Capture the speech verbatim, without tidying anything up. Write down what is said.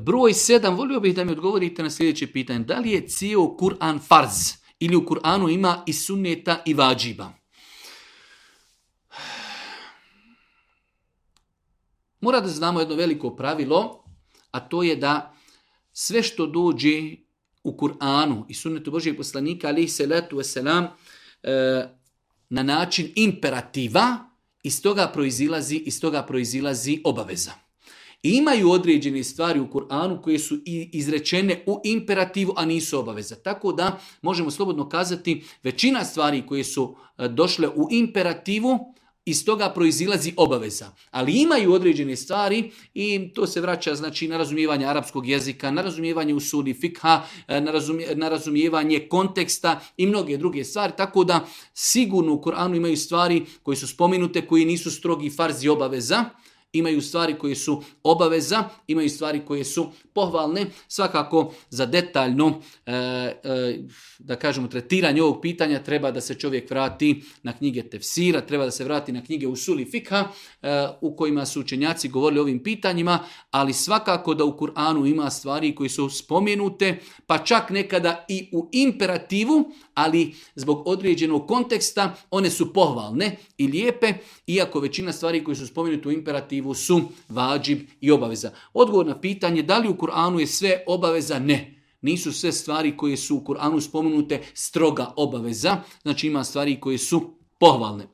Broj sedam, volio bih da mi odgovorite na sljedeće pitanje. Da li je cijel Kur'an farz ili u Kur'anu ima i sunneta i vađiba? Mora da znamo jedno veliko pravilo, a to je da sve što dođe u Kur'anu i sunnetu Božijeg poslanika, alejhi salatu vesselam, na način imperativa, iz toga proizilazi, iz toga proizilazi obaveza. I imaju određene stvari u Kur'anu koje su izrečene u imperativu, a nisu obaveza. Tako da možemo slobodno kazati većina stvari koje su došle u imperativu, iz toga proizilazi obaveza. Ali imaju određene stvari i to se vraća znači, na razumijevanje arapskog jezika, na razumijevanje usuli fikha, na, razumije, na razumijevanje konteksta i mnoge druge stvari. Tako da sigurno u Kur'anu imaju stvari koje su spomenute, koji nisu strogi farzi obaveza. Imaju stvari koje su obaveza, imaju stvari koje su pohvalne. Svakako za detaljno, e, e, da kažemo, tretiranje ovog pitanja treba da se čovjek vrati na knjige tefsira, treba da se vrati na knjige usuli fikha e, u kojima su učenjaci govorili o ovim pitanjima, ali svakako da u Kur'anu ima stvari koje su spomenute, pa čak nekada i u imperativu, ali zbog određenog konteksta one su pohvalne i lijepe, iako većina stvari koje su spomenute u imperativu su vađib i obaveza. Odgovor na pitanje da li u Kur'anu je sve obaveza? Ne. Nisu sve stvari koje su u Kur'anu spomenute stroga obaveza. Znači ima stvari koje su pohvalne.